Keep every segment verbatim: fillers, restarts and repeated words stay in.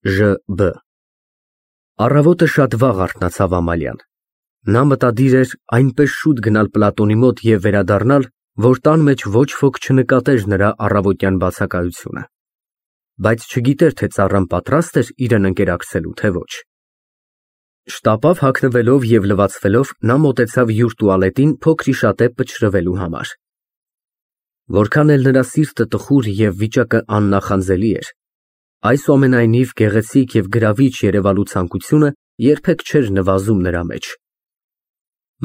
Ժ Բ Առավոտը շատ վաղ արթնացավ Ամալիան։ Նա մտադիր էր այնպես շուտ գնալ Պլատոնի մոտ և վերադառնալ, որ տան մեջ ոչ ոք չնկատեր նրա առավոտյան բացակայությունը, բայց չգիտեր, թե ծառան պատրաստ էր իրան ընկերակցելու, թե ոչ։ Շտապով հագնվելով և լվացվելով նա մոտեցավ յուր տուալետին փոքրիշատե պչռվելու համար։ Որքան էլ նրա սիրտը տխուր և վիճակը աննախանձելի էր, այսուամենայնիվ գեղեցիկ և գրավիչ երևալու ցանկությունը երբեք չէր նվազում նրա մեջ։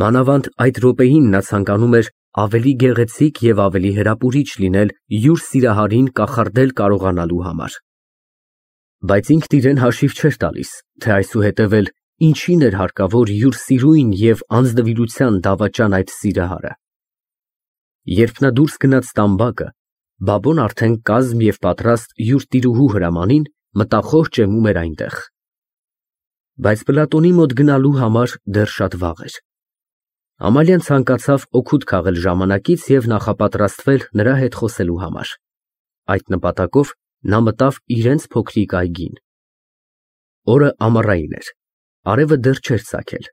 Մանավանդ այդ րոպեին նա ցանկանում էր ավելի գեղեցիկ և ավելի հրապուրիչ լինել յուր սիրահարին կախարդել կարողանալու համար։ Բայց ինքն իրեն հաշիվ չէր տալիս, թե այսուհետև էլ ինչին էր հարկավոր յուր սիրուն և անձնվիրության դավաճան այդ սիրահարը։ Երբ նա դուրս գնաց տամբակը, Բաբոն արդեն կազմ և պատրաստ յուր տիրուհու հրամանին մտախոհ ճեմում էր այնտեղ։ Բայց Պլատոնի մոտ գնալու համար դեռ շատ վաղ էր։ Ամալիան ցանկացավ օգուտ քաղել ժամանակից և նախապատրաստվել նրա հետ խոսելու համար։ Այդ նպատակով նա մտավ իրենց փոքրիկ այգին։ Օրը ամառային էր, արևը դեռ չէր ծագել,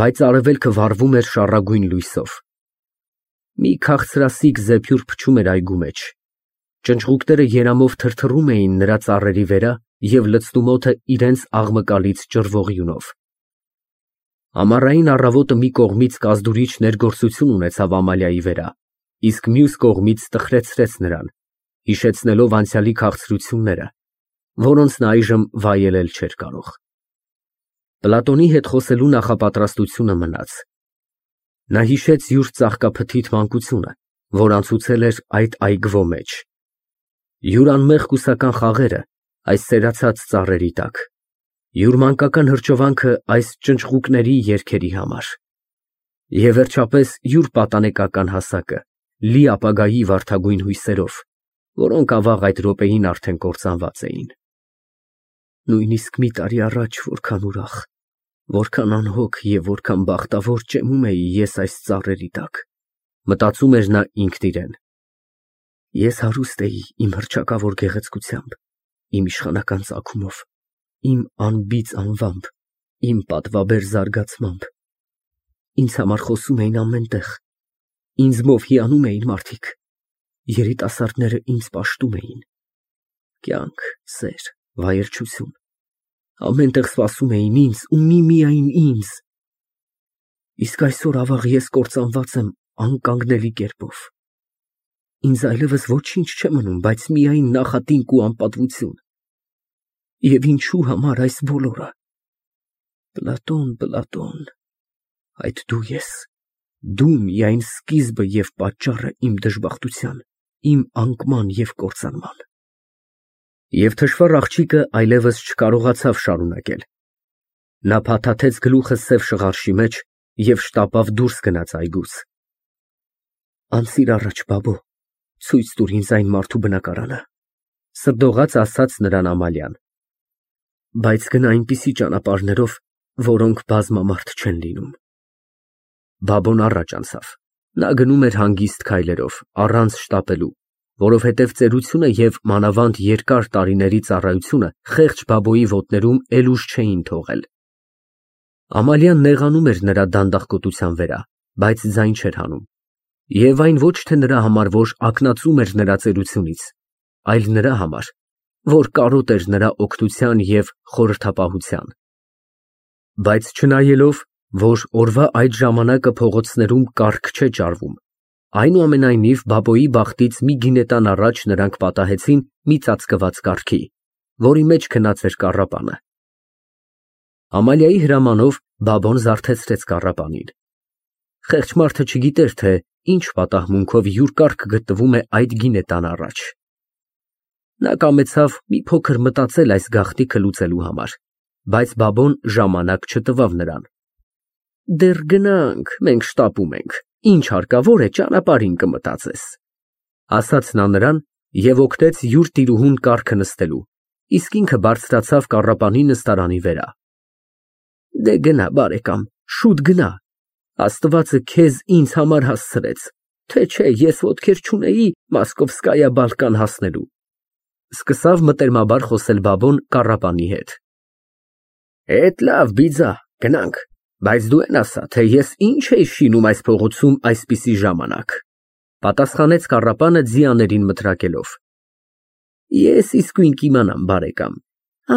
բայց արևելքը վառվում էր շառագույն լույսով։ Մի քաղցրասիկ զեփյուռ փչում էր այգու մեջ, ճնճղուկները երամով թրթռում էին նրա ծառերի վրա և լցնում օդը իրենց աղմկալից ճռվող յունով։ Ամառային առավոտը մի կողմից կազդուրիչ ներգործություն ունեցավ Ամալիայի վրա, իսկ մյուս կողմից տխրեցրեց նրան, հիշեցնելով անցյալի քաղցրությունները, որոնց նա այժմ վայելել չէր կարող։ Պլատոնի հետ խոսելու նախապատրաստությունը մնաց։ Նա հիշեց յուր ծաղկափթիթ մանկությունը, որ անցուցել էր այդ այգվո մեջ, յուր անմեղ կուսական խաղերը այս սերացած ծառերի տակ, յուր մանկական հրճվանքը այս ճնճղուկների երգերի համար, և վերջապես յուր պատանեկական հասակը, լի ապագայի վարդագույն հույսերով, որոնք ավաղ այդ րոպեին արդեն կործանված էին։ Նույնիսկ մի տարի առաջ որքան ուրախ, որքան անհոգ և որքան բախտավոր ճեմում էի ես այս ծառերի տակ, մտածում էր նա ինքն իրեն։ Ես հարուստ էի իմ հռչակավոր գեղեցկությամբ, իմ իշխանական ծագումով, իմ անբիծ անվամբ, իմ պատվաբեր զարգացմամբ։ Ինձ համար խոսում էին ամեն տեղ, ինձնով հիանում էին մարդիկ, երիտասարդները ինձ պաշտում էին։ Կյանք, սեր, վայելչություն, ամեն տեղ սպասում էին ինձ ու միմիայն ինձ։ Իսկ այսօր ավաղ ես կործանված եմ անկանգնելի կերպով։ Ինձ այլևս ոչինչ չէ մնում, բայց միայն նախատինք ու անպատվություն։ Եվ ինչու համար այս բոլորը։ Պլատոն, Պլատոն, այդ դու ես, դու միայն սկիզբը և պատճառը իմ դժբախտության, իմ անկման և կործանման։ Եվ թշվառ աղջիկը այլևս չկարողացավ շարունակել։ Նա փաթաթեց գլուխը սև շղարշի մեջ և շտապով դուրս գնաց այգուց։ Անցիր առաջ, բաբո, ցույց տուր ինձ այն մարդու բնակարանը, սրդողաց ասաց նրան Ամալիան, բայց գնա այնպիսի ճանապարհներով, որոնք բազմամարդ չեն լինում։ Բաբոն առաջ անցավ։ Նա գնում էր հանգիստ քայլերով, առանց շտապելու, որովհետև ծերությունը և մանավանդ երկար տարիների ծառայությունը խեղճ բաբոյի ոտներում էլ ուժ չէին թողել։ Ամալիան նեղանում էր նրա դանդաղկոտության վրա, բայց ձայն չէր հանում։ Եվ այն ոչ թե նրա համար, որ ակնածում էր նրա ծերությունից, այլ նրա համար, որ կարոտ էր նրա օգնության և խորհրդապահության։ Բայց չնայելով, որ օրվա այդ ժամանակը փողոցներում կառք չէ ճարվում, այնուամենայնիվ բաբոյի բախտից մի գինետան առաջ նրանք պատահեցին մի ծածկված կառքի, որի մեջ քնած էր կառապանը։ Ամալիայի հրամանով բաբոն զարթեցրեց կառապանին։ Խեղճ մարդը չգիտեր, թե ինչ պատահմունքով յուր կառքը գտնվում է այդ գինետան առաջ։ Նա կամեցավ մի փոքր մտածել այս գաղտնիքը լուծելու համար, բայց բաբոն ժամանակ չտվավ նրան։ Դեռ գնանք, մենք շտապում ենք, ինչ հարկավոր է ճանապարհին կմտածես, ասաց նա նրան և օգնեց յուր տիրուհուն կառքը նստելու, իսկ ինքը բարձրացավ կառապանի նստարանի վրա։ Դե գնա, բարեկամ, շուտ գնա, Աստվածը քեզ ինձ համար հասցրեց, թե չէ ես ոտքեր չունեի Մոսկովսկայա Բալկան հասնելու։ Սկսավ մտերմաբար խոսել Բաբոն կառապանի հետ։ Էդ լավ, բիձա, գնանք, բայց դու են ասա, թե ես ինչ էի շինում այս փողոցում այսպիսի ժամանակ, պատասխանեց կառապանը ձիաներին մտրակելով։ Ես իսկույն կիմանամ, բարեկամ,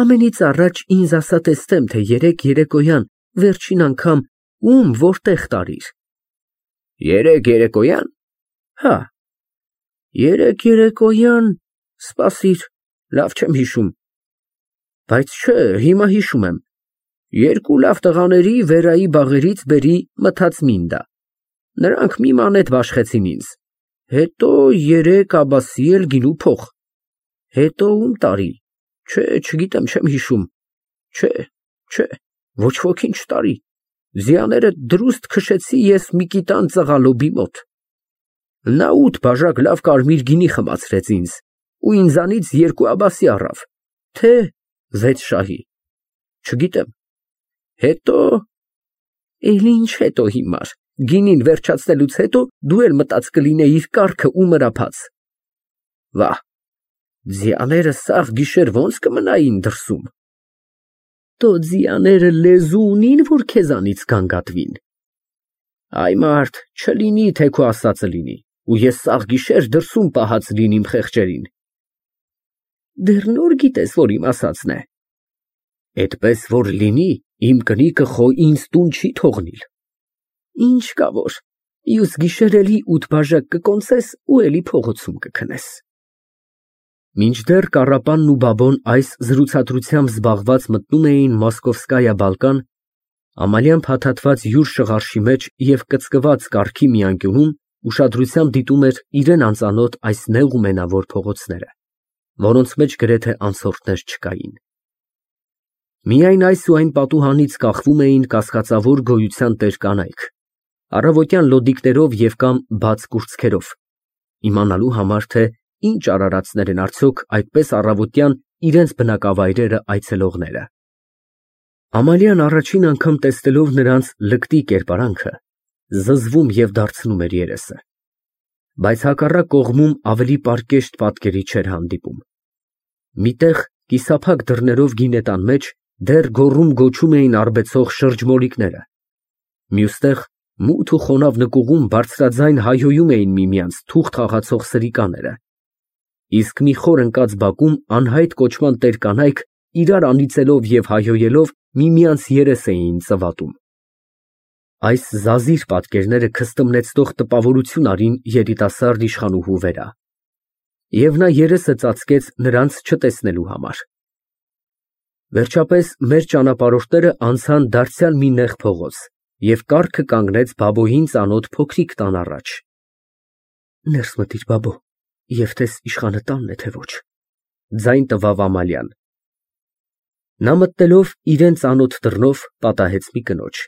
ամենից առաջ ինձ ասա տեսնեմ, թե երեկ երեկոյան վերջին անգամ ում որտեղ տարիր։ Երեկ երեկոյան։ Հա։ Երեկ երեկոյան, սպասիր, լավ չեմ հիշում։ Բայց չէ, հիմա հիշում եմ։ Երկու լավ տղաների վերայի բաղերից բերի մթած մինդա։ Նրանք մի մանետ բաշխեցին ինձ։ Հետո երեք աբասի էլ գինու փող։ Հետո ում տարի։ Չէ, չգիտեմ, չեմ հիշում։ Չէ, չէ, ոչ ոքին չտարի։ Ձիաները դրուստ քշեցի ես մի կիտան ծղալոբի մոտ։ Նա ութ բաժակ լավ կարմիր գինի խմացրեց ինձ ու ինձանից երկու աբասի առավ, թե վեց շահի։ Չգիտեմ։ Հետո… Էլ ինչ հետո հիմար, գինին վերջացնելուց հետո դու էլ մտած կլինեիր կառքը ու մրափած։ Վահ, ձիաները սաղ գիշեր ոնց կմնային դրսում։ Տո ձիաները լեզու ունին, որ քեզանից գանգատվին։ Այ մարդ, չլինի, թե քո ասածը լինի, ու ես սաղ գիշեր դրսում պահած լինիմ խեղճերին։ Դեռ նոր գիտես, որ իմ ասածն է։ Էդպես որ լինի, իմ կնիկը խո ինձ տուն չի թողնիլ։ Ինչ կա որ, մյուս գիշեր էլի ութ բաժակ կկոնցես ու էլի փողոցում կքնես։ Մինչդեռ կառապանն ու Բաբոն այս զրուցակցությամբ զբաղված մտնում էին Մոսկովսկայա Բալկան, Ամալիան փաթաթված յուր շղարշի մեջ և կծկված կառքի մի անկյունում ուշադրությամբ դիտում էր իրան անծանոթ այս նեղ ու մենավոր փողոցները, որոնց մեջ գրեթե անցորդներ չկային։ Միայն այս ու այն պատուհանից կախվում էին կասկածավոր գոյության տեր կանայք, առավոտյան լոդիկներով և կամ բաց կուրծքերով, իմանալու համար, թե ինչ արարածներ են արդյոք այդպես առավոտյան իրենց բնակավայրերը այցելողները։ Ամալիան առաջին անգամ տեսնելով նրանց լկտի կերպարանքը, զզվում և դարձնում էր երեսը, բայց հակառակ կողմում ավելի պարկեշտ պատկերի չէր հանդիպում։ Միտեղ կիսափակ դռներով գինետան մեջ դեռ գոռում գոչում էին արբեցող շրջմոլիկները, մյուստեղ մութ ու խոնավ նկուղում բարձրաձայն հայհոյում էին միմյանց թուղթ խաղացող սրիկաները, իսկ մի խոր ընկած բակում անհայտ կոչման տեր կանայք իրար անիծելով և հայհոյելով միմյանց երես էին ծվատում։ Այս զազիր պատկերները քստմնեցնող տպավորություն արին երիտասարդ իշխանուհու վրա, և նա երեսը ծածկեց նրանց չտեսնելու համար։ Վերջապես մեր ճանապարհորդները անցան դարձյալ մի նեղ փողոց, և կառքը կանգնեց Բաբոյին ծանոթ փոքրիկ տան առաջ։ Ներս մտիր, Բաբո, և տես իշխանը տանն է, թե ոչ, ձայն տվավ Ամալիան։ Նա մտնելով իրան ծանոթ դռնով պատահեց մի կնոջ,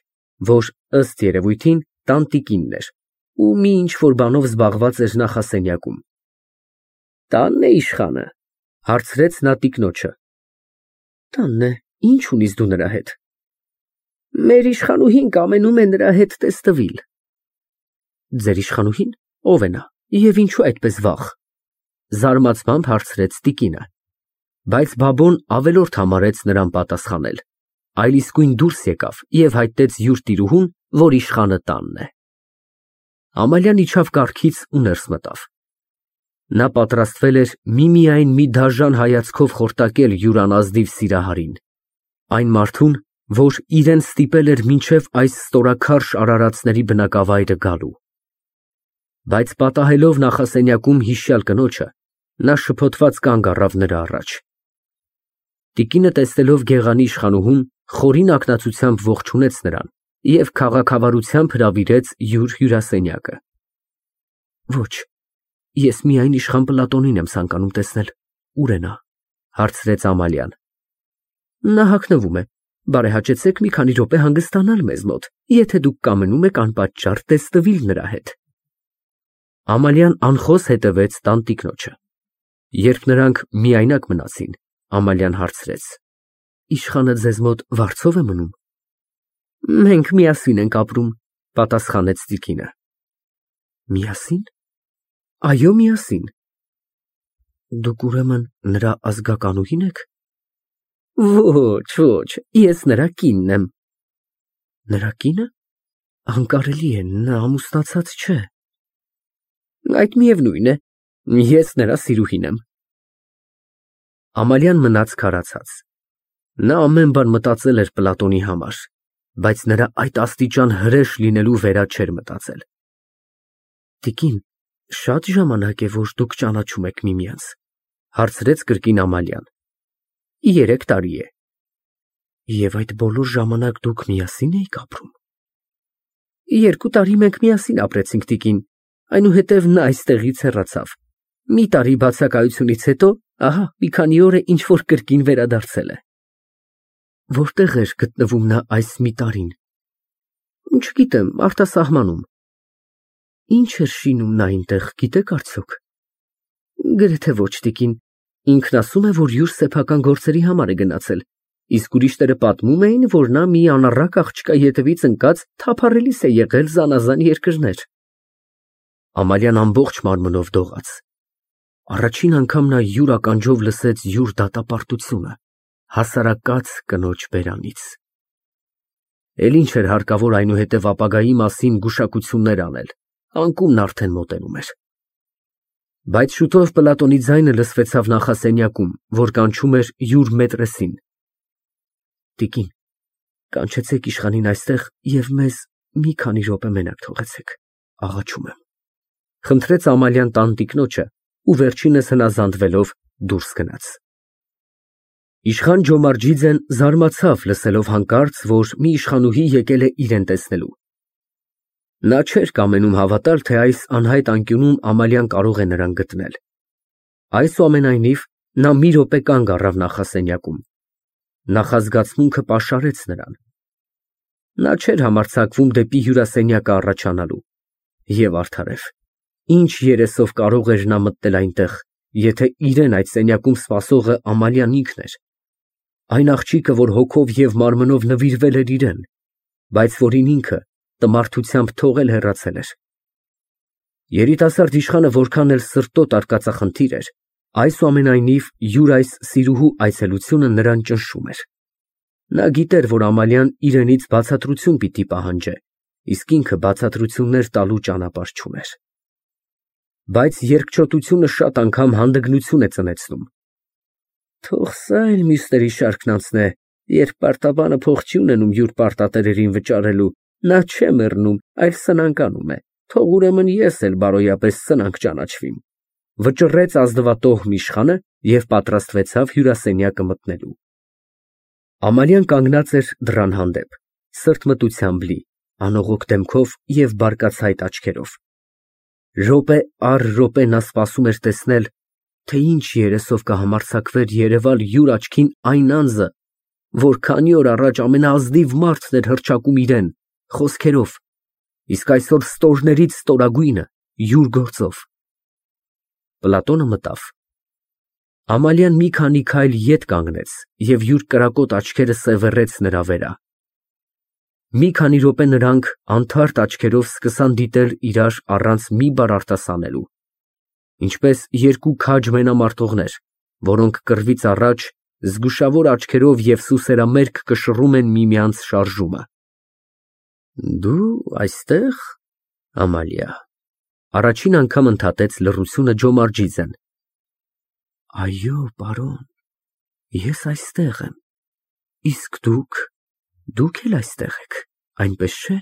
որ ըստ երևույթին տանտիկինն էր ու մի ինչ֊որ բանով զբաղված էր նախասենյակում։ Տանն է իշխանը, հարցրեց նա տիկնոջը։ Տանն է, ինչ ունիս դու նրա հետ։ Մեր իշխանուհին կամենում է նրա հետ տեսնվիլ։ Ձեր իշխանուհին, ո՞վ է նա և ինչու այդպես վաղ, զարմացած հարցրեց տիկինը, բայց Բաբոն ավելորդ համարեց նրան պատասխանել, այլ իսկույն դուրս եկավ և հայտնեց յուր տիրուհուն, որ իշխանը տանն է։ Ամալիան իջավ կառքից ու ներս մտավ։ Նա պատրաստվել էր միմիայն մի դաժան հայացքով խորտակել յուր անազնիվ սիրահարին, այն մարդուն, որ իրան ստիպել էր մինչև այս ստորաքարշ արարածների բնակավայրը գալու։ Բայց պատահելով նախասենյակում հիշյալ կնոջը, նա շփոթված կանգ առավ նրա առաջ։ Տիկինը տեսնելով գեղանի իշխանուհուն, խորին ակնածությամբ ողջունեց նրան և քաղաքավարությամբ հրավիրեց յուր հյուրասենյակը։ Ոչ, ես միայն իշխան Պլատոնին եմ ցանկանում տեսնել, ուր է նա, հարցրեց Ամալիան։ Նա հագնվում է, բարեհաճեցեք մի քանի րոպե հանգստանալ մեզ մոտ, եթե դուք կամենում եք անպատճառ տեսնվիլ նրա հետ։ Ամալիան անխոս հետևեց տանտիկնոջը։ Երբ նրանք միայնակ մնացին, Ամալիան հարցրեց. Իշխանը ձեզ մոտ վարձով է մնում։ Մենք միասին ենք ապրում, պատասխանեց տիկինը։ Միասին։ Այո, միասին։ Դուք ուրեմն նրա ազգականուհի՞ն եք։ Ոչ, ոչ, ես նրա կինն եմ։ Նրա կինը։ Անկարելի է, նա ամուսնացած չէ։ Այդ միևնույն է, ես նրա սիրուհին եմ։ Ամալիան մնաց քարացած։ Նա ամեն բան մտածել էր Պլատոնի համար, բայց նրա այդ աստիճան հրեշ լինելու վերա չէր մտածել։ Տիկին, շատ ժամանակ է, որ դուք ճանաչում եք միմյանց, հարցրեց կրկին Ամալիան։ Երեք տարի է։ Եվ այդ բոլոր ժամանակ դուք միասին էիք ապրում։ Երկու տարի մենք միասին ապրեցինք, տիկին, այնուհետև նա այստեղից հեռացավ։ Մի տարի բացակայությունից հետո, ահա, մի քանի օր է ինչ որ կրկին վերադարձել է։ Որտեղ էր գտնվում նա այս մի տարին։ Չգիտեմ, արտասահմանում։ Ինչ էր շինում նա այնտեղ, գիտեք արդյոք։ Գրեթե ոչ, տիկին, ինքն ասում է, որ յուր սեփական գործերի համար է գնացել, իսկ ուրիշները պատմում էին, որ նա մի անառակ աղջկա ետևից ընկած թափառելիս է եղել զանազան երկրներ։ Ամալիան ամբողջ մարմնով դողաց։ Առաջին անգամ նա յուր ականջով լսեց յուր դատապարտությունը, հասարակած կնոջ բերանից։ Էլ ինչ էր հարկավոր այնուհետև ապագայի մասին գուշակություններ անել, անկումն արդեն մոտենում էր։ Բայց շուտով Պլատոնի ձայնը լսվեցավ նախասենյակում, որ կանչում էր յուր մետրեսին։ Տիկին, կանչեցեք իշխանին այստեղ և մեզ մի քանի րոպե մենակ թողեցեք, աղաչում եմ, խնդրեց Ամալիան տանտիկնոջը ու վերջինս հնազանդվելով դուրս գնաց։ Իշխան Ջոմարջիձեն զարմացավ լսելով հանկարծ, որ մի իշխանուհի եկել է իրեն տեսնելու։ Նա չէր կամենում հավատալ, թե այս անհայտ անկյունում Ամալիան կարող է նրան գտնել։ Այսուամենայնիվ, նա մի րոպե կանգ առավ նախասենյակում։ Նախազգացմունքը պաշարեց նրան։ Նա չէր համարձակվում դեպի հյուրասենյակը առաջանալու։ Եվ արդարև, ինչ երեսով կարող էր նա մտնել այնտեղ, եթե իրեն այդ սենյակում սպասողը Ամալիան ինքն էր, այն աղջիկը, որ հոգով և մարմնով նվիրվել էր իրեն, բայց որին ինքը տմարդությամբ թողել հեռացել էր։ Երիտասարդ իշխանը որքան էլ սրտոտ արկածախնդիր էր, այսուամենայնիվ յուր այս սիրուհու այցելությունը նրան ճնշում էր։ Նա գիտեր, որ Ամալիան իրենից բացատրություն պիտի պահանջե, իսկ ինքը բացատրություններ տալու ճանապարհ չուներ։ Բայց երկչոտությունը շատ անգամ հանդգնություն է ծնեցնում։ Թող սա էլ մյուսների շարքն անցնե, երբ պարտաբանը փող չի ունենում յուր պարտատերերին վճարելու, նա չէ մեռնում, այլ սնանկանում է, թող ուրեմն ես էլ բարոյապես սնանկ ճանաչվիմ, վճռեց ազնվատոհմ իշխանը և պատրաստվեցավ հյուրասենյակը մտնելու։ Ամալիան կանգնած էր դռան հանդեպ, սրտմտությամբ լի, անողոք դեմքով և բարկացայտ աչքերով։ Րոպե առ րոպե նա սպասում էր տեսնել, թե ինչ երեսով կհամարձակվեր երևալ յուր աչքին այն անձը, որ քանի օր առաջ ամենաազնիվ մարդն էր հռչակում իրան, խոսքերով, իսկ այսօր ստորներից ստորագույնը յուր գործով։ Պլատոնը մտավ։ Ամալիան մի քանի քայլ ետ կանգնեց և յուր կրակոտ աչքերը սևեռեց նրա վերա։ Մի քանի րոպե նրանք անթարթ աչքերով սկսան դիտել իրար առանց մի բառ արտասանելու, ինչպես երկու քաջ մենամարտողներ, որոնք կռվից առաջ զգուշավոր աչքերով և սուսերամերկ կշռում են միմյանց շարժումը։ Դու այստեղ, Ամալիա, առաջին անգամ ընդհատեց լռությունը Ջոմարջիձեն։ Այո, պարոն, ես այստեղ եմ, իսկ դուք, դուք էլ այստեղ եք, այնպես չէ։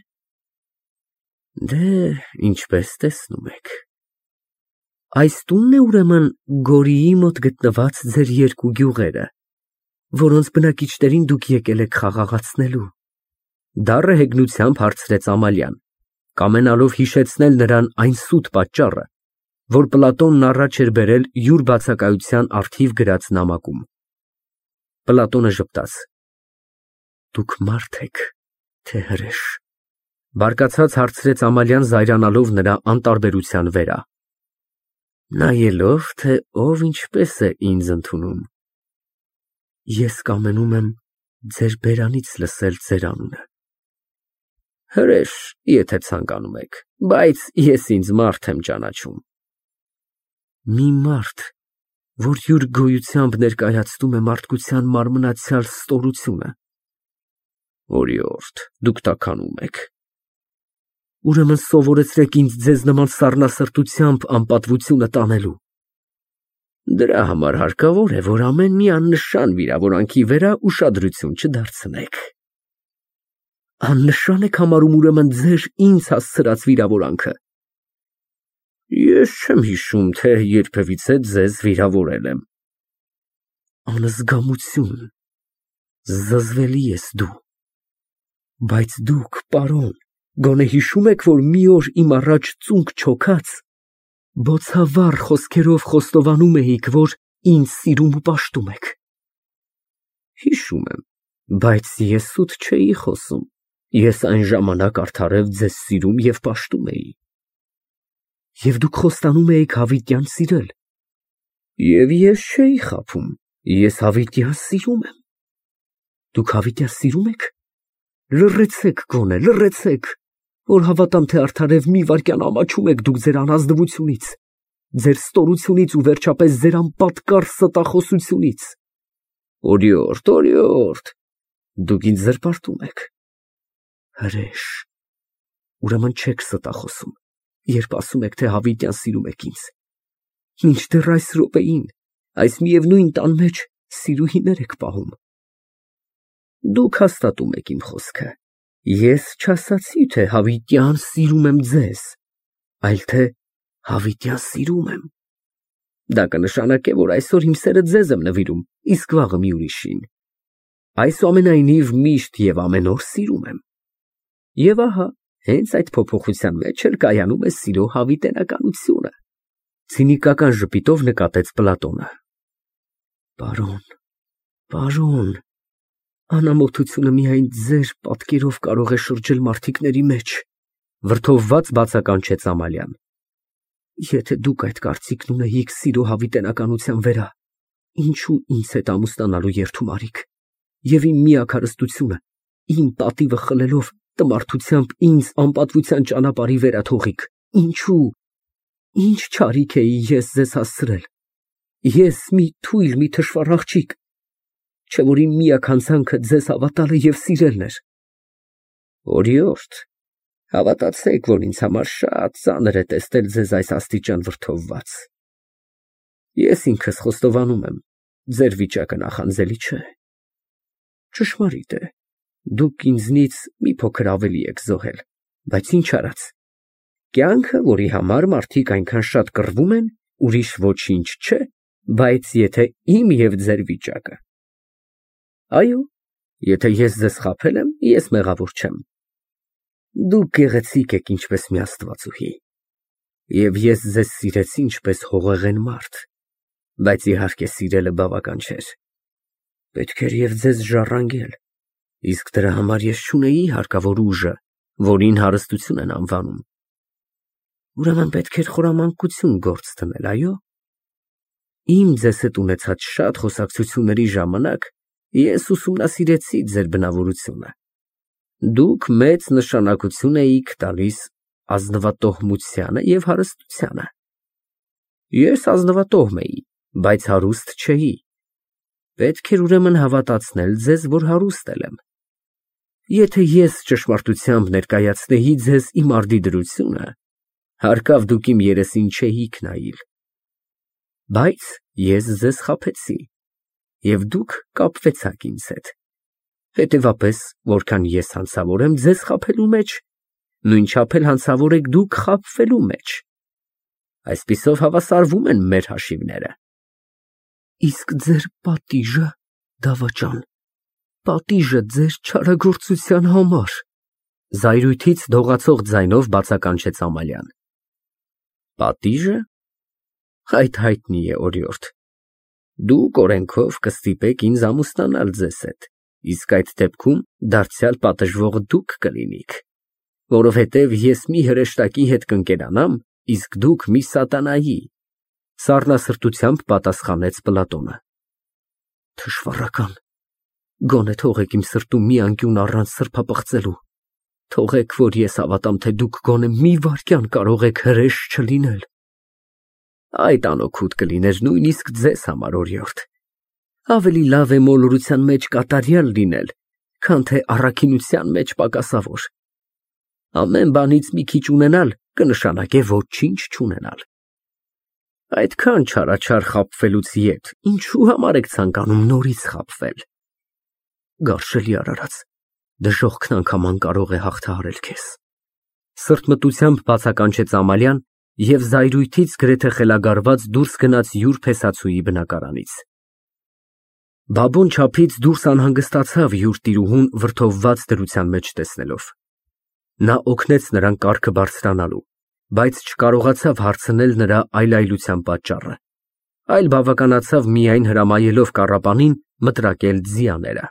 Դե, ինչպես տեսնում եք։ Այս տունն է ուրեմն Գորիի մոտ գտնված ձեր երկու գյուղերը, որոնց բնակիչներին դուք եկել եք խաղաղացնելու։ Դառը հեգնությամբ հարցրեց Ամալիան, կամենալով հիշեցնել նրան այն սուտ պատճառը, որ Պլատոնն առաջ էր բերել յուր բացակայության առթիվ գրած նամակում։ Պլատոնը ժպտաց։ Դուք մարդ եք, թե հրեշ։ Բարկացած հարցրեց Ամալիան զայրանալով նրա անտարբերության վերա։ Նայելով, թե ով ինչպես է ինձ ընդունում։ Ես կամենում եմ ձեր բերանից լսել ձեր անունը։ Հրեշ, եթե ցանկանում եք, բայց ես ինձ մարդ եմ ճանաչում։ Մի մարդ, որ յուր գոյությամբ ներկայացնում է մարդկության մարմնացյալ ստորությունը։ Օրիորդ, դուք տաքանում եք։ Ուրեմն սովորեցրեք ինձ ձեզ նման սառնասրտությամբ անպատվությունը տանելու։ Դրա համար հարկավոր է, որ ամեն մի աննշան վիրավորանքի վրա ուշադրություն չդարձնեք։ Աննշան եք համարում ուրեմն ձեր ինձ հասցրած վիրավորանքը։ Ես չեմ հիշում, թե երբևիցե ձեզ վիրավորել եմ։ Անզգամություն, զզվելի ես դու։ Բայց դուք, պարոն, գոնե հիշում եք, որ մի օր իմ առաջ ծունկ չոքած, բոցավառ խոսքերով խոստովանում էիք, որ ինձ սիրում ու պաշտում եք։ Հիշում եմ, բայց ես սուտ չէի խոսում, ես այն ժամանակ արդարև ձեզ սիրում և պաշտում էի։ Եվ դուք խոստանում էիք հավիտյան սիրել։ Եվ ես չէի խաբում, ես հավիտյան սիրում եմ։ Դուք հավիտյան սիրում եք։ Լռեցեք գոնե, լռեցեք, որ հավատամ, թե արդարև մի վայրկյան ամաչում եք դուք ձեր անազնվությունից, ձեր ստորությունից ու վերջապես ձեր անպատկառ ստախոսությունից։ Օրիորդ, օրիորդ, դուք ինձ զրպարտում եք։ Հրեշ, ուրեմն չեք ստախոսում, երբ ասում եք, թե հավիտյան սիրում եք ինձ։ Մինչդեռ այս րոպեին, այս միևնույն տան մեջ սիրուհիներ եք պահում։ Դուք հաստատում եք իմ խոսքը։ Ես չասացի, թե հավիտյան սիրում եմ ձեզ, այլ թե հավիտյան սիրում եմ։ Դա կնշանակե, որ այսօր իմ սերը ձեզ եմ նվիրում, իսկ վաղը մի ուրիշին։ Այսուամենայնիվ միշտ և ամեն օր սիրում եմ։ Եվ ահա, հենց այդ փոփոխության մեջ էլ կայանում է սիրո հավիտենականությունը։ Ցինիկական ժպիտով նկատեց Պլատոնը։ Պարոն, պարոն, անամոթությունը միայն ձեր պատկերով կարող է շրջել մարդիկների մեջ, վրդովված բացականչեց Ամալիան։ Եթե դուք այդ կարծիքն ունեիք սիրո հավիտենականության վրա, ինչու ինձ հետ ամուսնանալու երդում արիք, և իմ միակ հարստությունը, իմ պատիվը խլելով տմարդությամբ ինձ անպատվության ճանապարհի վերաթողիք, ինչու, ինչ չարիք էի ես ձեզ հասցրել, ես մի թույլ, մի թշվառ աղջիկ, չէ որ իմ միակ հանցանքը ձեզ հավատալը և սիրելն էր։ Օրիորդ, հավատացեք, որ ինձ համար շատ ծանր է տեսնել ձեզ այս աստիճան վրդովված։ Ես ինքս խոստովանում եմ, ձեր վիճակը նախանձելի չէ։ Ճշմարիտ է, դուք ինձնից մի փոքր ավելի եք զոհել, բայց ինչ արած։ Կյանքը, որի համար մարդիկ այնքան շատ կռվում են, ուրիշ ոչինչ չէ, բայց եթե իմ և ձեր վիճակը։ Այո, եթե ես ձեզ խաբել եմ, ես մեղավոր չեմ։ Դուք գեղեցիկ եք ինչպես մի աստվածուհի, և ես ձեզ սիրեցի ինչպես հողեղեն մարդ, բայց իհարկե սիրելը բավական չէր։ Պետք էր և ձեզ ժառանգել, իսկ դրա համար ես չունեի հարկավոր ուժը, որին հարստություն են անվանում։ Ուրեմն պետք էր խորամանկություն գործ դնել, այո։ Իմ ձեզ հետ ունեցած շատ խոսակցությունների ժամանակ ես ուսումնասիրեցի ձեր բնավորությունը։ Դուք մեծ նշանակություն էիք տալիս ազնվատոհմությանը և հարստությանը։ Ես ազնվատոհմ էի, բայց հարուստ չէի։ Պետք էր ուրեմն հավատացնել ձեզ, որ հարուստ եմ։ Եթե ես ճշմարտությամբ ներկայացնեի ձեզ իմ արդի դրությունը, հարկավ դուք իմ երեսին չէիք նայիլ։ Բայց ես ձեզ խաբեցի, և դուք կապվեցաք ինձ հետ։ Հետևապես, որքան ես հանցավոր եմ ձեզ խաբելու մեջ, նույնչափ էլ հանցավոր եք դուք խաբվելու մեջ։ Այսպիսով հավասարվում են մեր հաշիվները։ Իսկ ձեր պատիժը, դավաճան, պատիժը ձեր չարագործության համար, զայրույթից դողացող ձայնով բացականչեց Ամալիան։ Պատիժը։ Այդ հայտնի է, օրիորդ։ Դուք օրենքով կստիպեք ինձ ամուսնանալ ձեզ հետ, իսկ այդ դեպքում դարձյալ պատժվողը դուք կլինիք, որովհետև ես մի հրեշտակի հետ կընկերանամ, իսկ դուք մի սատանայի, սառնասրտությամբ պատասխանեց Պլատոնը։ Թշվառական, գոնե թողեք իմ սրտում մի անկյուն առանց սրբապղծելու, թողեք, որ ես հավատամ, թե դուք գոնե մի վայրկյան կարող եք հրեշ չլինել։ Այդ անօգուտ կլիներ նույնիսկ ձեզ համար, օրիորդ։ Ավելի լավ է մոլորության մեջ կատարյալ լինել, քան թե առաքինության մեջ պակասավոր։ Ամեն բանից մի քիչ ունենալ կնշանակե ոչինչ չունենալ։ Այդքան չարաչար խաբվելուց ետ, ինչու համար եք ցանկանում նորից խաբվել։ Գարշելի արարած, դժոխքն անգամ կարող է հաղթահարել քեզ։ Սրտմտությամբ բացականչեց Ամալիան և զայրույթից գրեթե խելագարված դուրս գնաց յուր փեսացուի բնակարանից։ Բաբոն չափից դուրս անհանգստացավ յուր տիրուհուն վրդովված դրության մեջ տեսնելով։ Նա օգնեց նրան կառքը բարձրանալու, բայց չկարողացավ հարցնել նրա այլայլության պատճառը, այլ բավականացավ միայն հրամայելով կառապանին մտրակել ձիաները։